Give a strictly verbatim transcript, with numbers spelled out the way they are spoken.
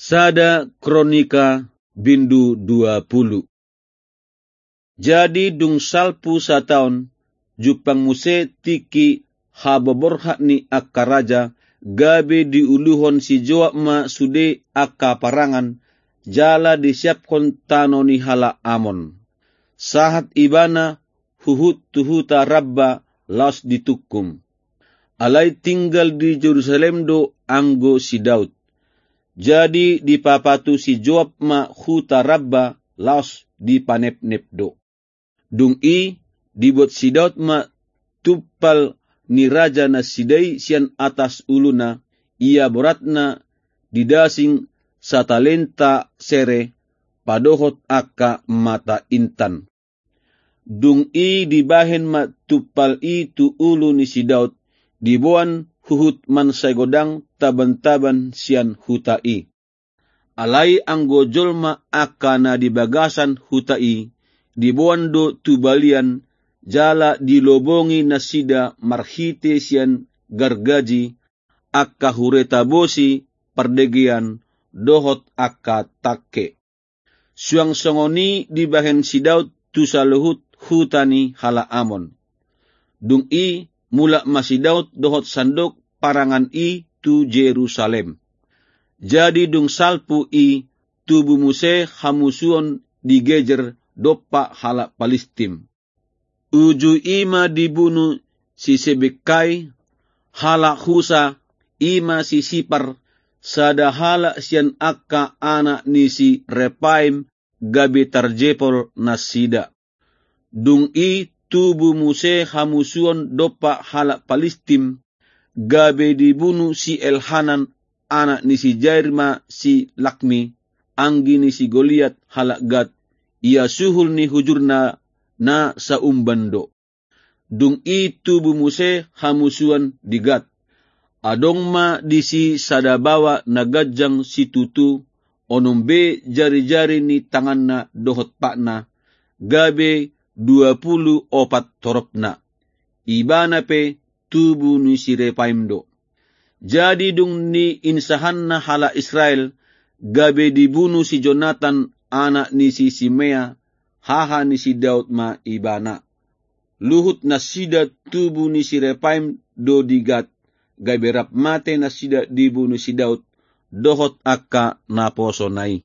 Sada Kronika bindu dua pulu. Jadi dung salpu sataon, jumpang muse tingki haboborhat ni angka raja, gabe diuluhon si Joab ma sude angka parangan, jala disiaphon tano ni halak Amon. Sahat ibana huhut tu huta Rabba laos ditungkum. Alai tinggal di Jerusalem do anggo si Daud. Jadi dipapatu si Joab ma huta Rabba laos dipanepnep do. Dung i dibuat si Daud ma tumpal ni raja nasida i sian atas uluna, ia boratna didasing satalenta sere padohot angka mata intan. Dung i dibahen ma tumpal i tu ulu ni si Daud, diboan huhut mansai godang tabantaban sian huta i. Alai anggo jolma angka na di bagasan huta i, diboan do tu balian, jala dilobongi nasida marhite sian gargaji, angka hureta bosi, pardegean, dohot angka tangke. Suang songon i dibahen si Daud tu saluhut huta ni halak Amon. Dung i mulak ma si Daud dohot sandok parangan i tu Jerusalem. Jadi dung salpu i tubu muse hamusuon di Gezer dompak halak Palistim. Uju i ma dibunu si Sebekai, halak Husa, i ma si Sipar, sada halak sian angka anak ni si Repaim, gabe tarjepol nasida. Dung i tubu muse hamusuon dompak halak Palistim, gabe dibunu si Elhanan, anak ni si Jair ma si Lakmi, anggi ni si Goliat halak Gat, ia suhul ni hujurna na saumban do. Dung i tubu muse hamusuon di Gat. Adong ma disi sada baoa na ganjang situtu, onom be jarijari ni tanganna dohot patna, gabe dua pulu opat toropna. Ibana pe tubu ni si Repaim do. Jadi dung niinsahanna halak Israel, gabe dibunu si Jonatan, anak ni si Simea, haha ni si Daud ma ibana. Luhut nasida tubu ni si Repaim do di Gat, gabe rap mate nasida dibunu si Daud, dohot angka naposona i.